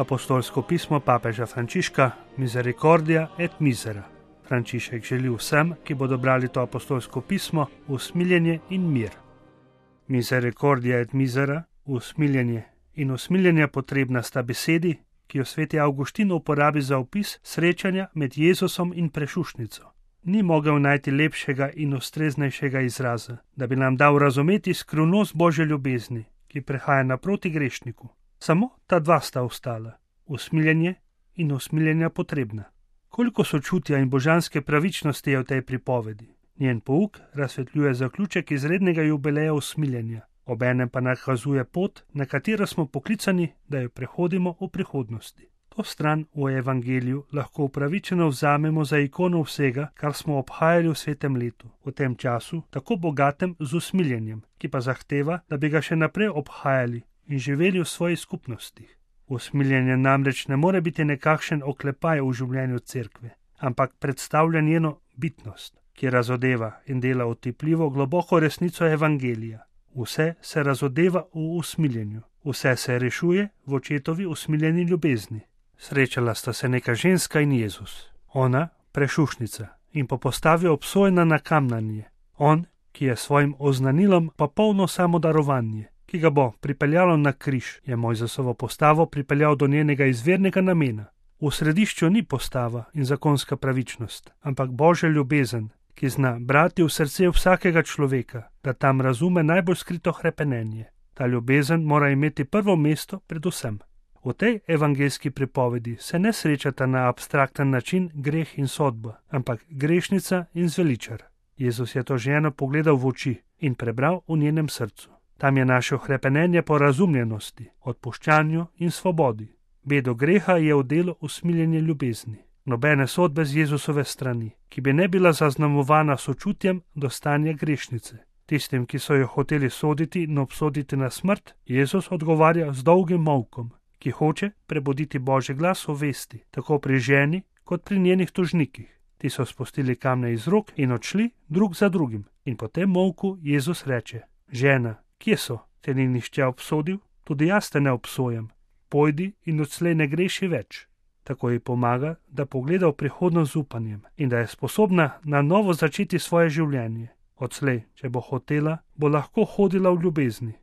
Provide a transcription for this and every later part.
Apostolsko pismo papeža Frančiška Misericordia et misera. Frančišek želi vsem, ki bodo brali to apostolsko pismo, usmiljenje in mir. Misericordia et misera, usmiljenje in usmiljenje potrebna sta besedi, ki jo sveti Avguštin uporabi za opis srečanja med Jezusom in prešušnico. Ni mogel najti lepšega in ustreznejšega izraza, da bi nam dal razumeti skrivnost Božje ljubezni, ki prehaja naproti grešniku. Samo ta dva sta ostala, usmiljenje in usmiljenja potrebna. Koliko sočutja in božanske pravičnosti je v tej pripovedi. Njen pouk razsvetljuje zaključek izrednega jubileja usmiljenja, obenem pa nakazuje pot, na katero smo poklicani, da jo prehodimo v prihodnosti. To stran v evangeliju lahko upravičeno vzamemo za ikono vsega, kar smo obhajali v svetem letu, v tem času tako bogatem z usmiljenjem, ki pa zahteva, da bi ga še naprej obhajali in živeli v svojih skupnostih. Usmiljenje namreč ne more biti nekakšen oklepaj v življenju cerkve, ampak predstavlja njeno bitnost, ki razodeva in dela otipljivo globoko resnico evangelija. Vse se razodeva v usmiljenju, vse se rešuje v očetovi usmiljeni ljubezni. Srečala sta se neka ženska in Jezus. Ona, prešušnica, in po postavi obsojena na kamnanje. On, ki je svojim oznanilom pa polno samodarovanje, ki ga bo pripeljalo na križ, je Mojzesovo postavo pripeljal do njenega izvirnega namena. V središču ni postava in zakonska pravičnost, ampak Božja ljubezen, ki zna brati v srce vsakega človeka, da tam razume najbolj skrito hrepenenje. Ta ljubezen mora imeti prvo mesto pred vsem. V tej evangeljski pripovedi se ne srečata na abstrakten način greh in sodba, ampak grešnica in zveličar. Jezus je to ženo pogledal v oči in prebral v njenem srcu. Tam je našel hrepenenje po razumljenosti, odpuščanju in svobodi. Bedo greha je v delu usmiljenje ljubezni. Nobene sodbe z Jezusove strani, ki bi ne bila zaznamovana sočutjem do stanja grešnice. Tistim, ki so jo hoteli soditi in obsoditi na smrt, Jezus odgovarja z dolgim molkom, ki hoče prebuditi Božji glas v vesti, tako pri ženi kot pri njenih tožnikih. Ti so spustili kamne iz rok in odšli drug za drugim. In po tem molku Jezus reče: Žena, kje so? Te ni nihče obsodil? Tudi jaz te ne obsojam. Pojdi in odslej ne greši več. Tako ji pomaga, da pogleda v prihodnost z upanjem in da je sposobna na novo začeti svoje življenje. Odslej, če bo hotela, bo lahko hodila v ljubezni.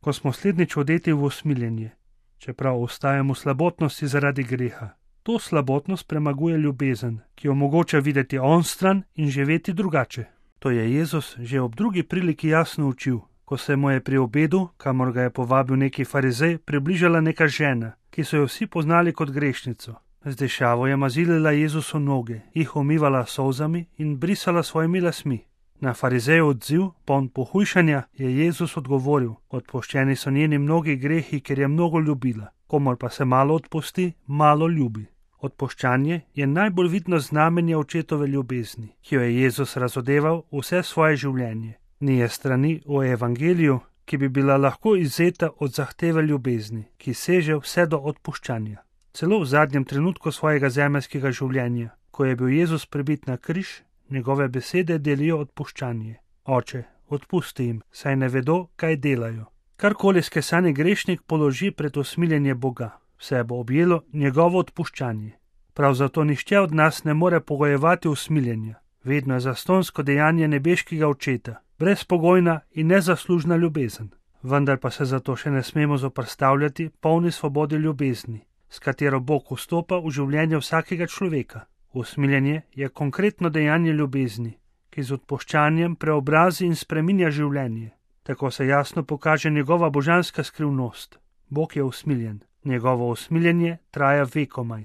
Ko smo slednjič odeti v usmiljenje, čeprav ostajamo v slabotnosti zaradi greha, to slabotnost premaguje ljubezen, ki omogoča videti onstran in živeti drugače. To je Jezus že ob drugi priliki jasno učil, ko se mu je pri obedu, kamor ga je povabil neki farizej, približala neka žena, ki so jo vsi poznali kot grešnico. Z dešavo je mazilila Jezusu noge, jih umivala solzami in brisala svojimi lasmi. Na farizejev odziv, poln pohujšanja, je Jezus odgovoril: Odpuščeni so njeni mnogi grehi, ker je mnogo ljubila. Komor pa se malo odpusti, malo ljubi. Odpuščanje je najbolj vidno znamenje očetove ljubezni, ki jo je Jezus razodeval vse svoje življenje. Ni je strani v evangeliju, ki bi bila lahko izvzeta od zahteve ljubezni, ki seže vse do odpuščanja. Celo v zadnjem trenutku svojega zemeljskega življenja, ko je bil Jezus pribit na križ, njegove besede delijo odpuščanje. Oče, odpusti jim, saj ne vedo, kaj delajo. Karkoli skesani grešnik položi pred usmiljenje Boga, vse bo objelo njegovo odpuščanje. Prav zato nihče od nas ne more pogojevati usmiljenja. Vedno je zastonsko dejanje nebeškega očeta, brezpogojna in nezaslužna ljubezen. Vendar pa se zato še ne smemo zoperstavljati polni svobodi ljubezni, s katero Bog vstopa v življenje vsakega človeka. Usmiljenje je konkretno dejanje ljubezni, ki z odpuščanjem preobrazi in spreminja življenje. Tako se jasno pokaže njegova božanska skrivnost. Bog je usmiljen. Njegovo usmiljenje traja vekomaj.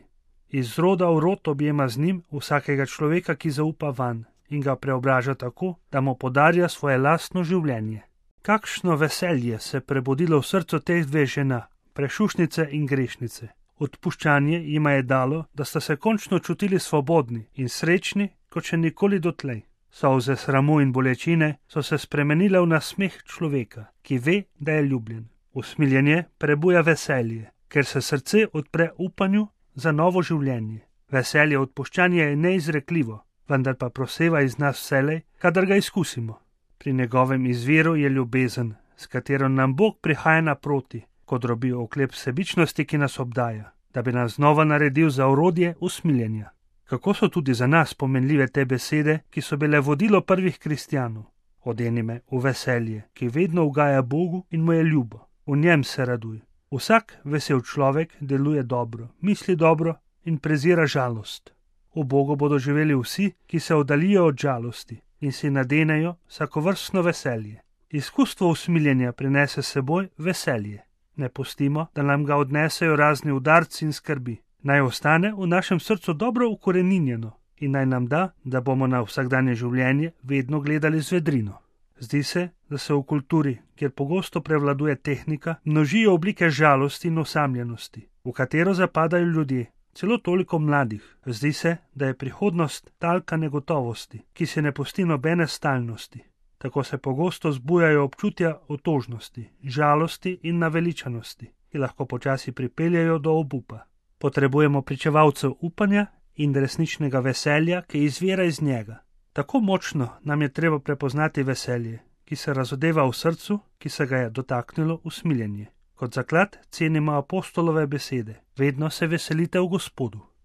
Iz roda v rod objema z njim vsakega človeka, ki zaupa vanj in ga preobraža tako, da mu podarja svoje lastno življenje. Kakšno veselje se je prebudilo v srcu teh dveh žena, prešušnice in grešnice. Odpuščanje jima je dalo, da sta se končno čutili svobodni in srečni, kot še nikoli dotlej. Solze sramu in bolečine so se spremenile v nasmeh človeka, ki ve, da je ljubljen. Usmiljenje prebuja veselje, ker se srce odpre upanju za novo življenje. Veselje odpuščanja je neizrekljivo, vendar pa proseva iz nas vselej, kadar ga izkusimo. Pri njegovem izviru je ljubezen, s katero nam Bog prihaja naproti, ko drobi oklep sebičnosti, ki nas obdaja. da bi nas znova naredil za orodje usmiljenja. Kako so tudi za nas pomenljive te besede, ki so bile vodilo prvih kristjanov. Odeni me v veselje, ki vedno ugaja Bogu in mu je ljubo. V njem se raduj. Vsak vesel človek deluje dobro, misli dobro in prezira žalost. V Bogu bodo živeli vsi, ki se oddalijo od žalosti in si nadenejo vsakovrstno veselje. Izkustvo usmiljenja prinese seboj veselje. Ne pustimo, da nam ga odnesejo razni udarci in skrbi. Naj ostane v našem srcu dobro ukoreninjeno in naj nam da, da bomo na vsakdanje življenje vedno gledali z vedrino. Zdi se, da se v kulturi, kjer pogosto prevladuje tehnika, množijo oblike žalosti in osamljenosti, v katero zapadajo ljudje, celo toliko mladih. Zdi se, da je prihodnost talka negotovosti, ki se ne pusti nobene stalnosti. Tako se pogosto zbujajo občutja otožnosti, žalosti in naveličanosti, ki lahko počasi pripeljajo do obupa. Potrebujemo pričevalcev upanja in resničnega veselja, ki izvira iz njega. Tako močno nam je treba prepoznati veselje, ki se razodeva v srcu, ki se ga je dotaknilo usmiljenje. Kot zaklad cenimo apostolove besede: vedno se veselite v Gospodu.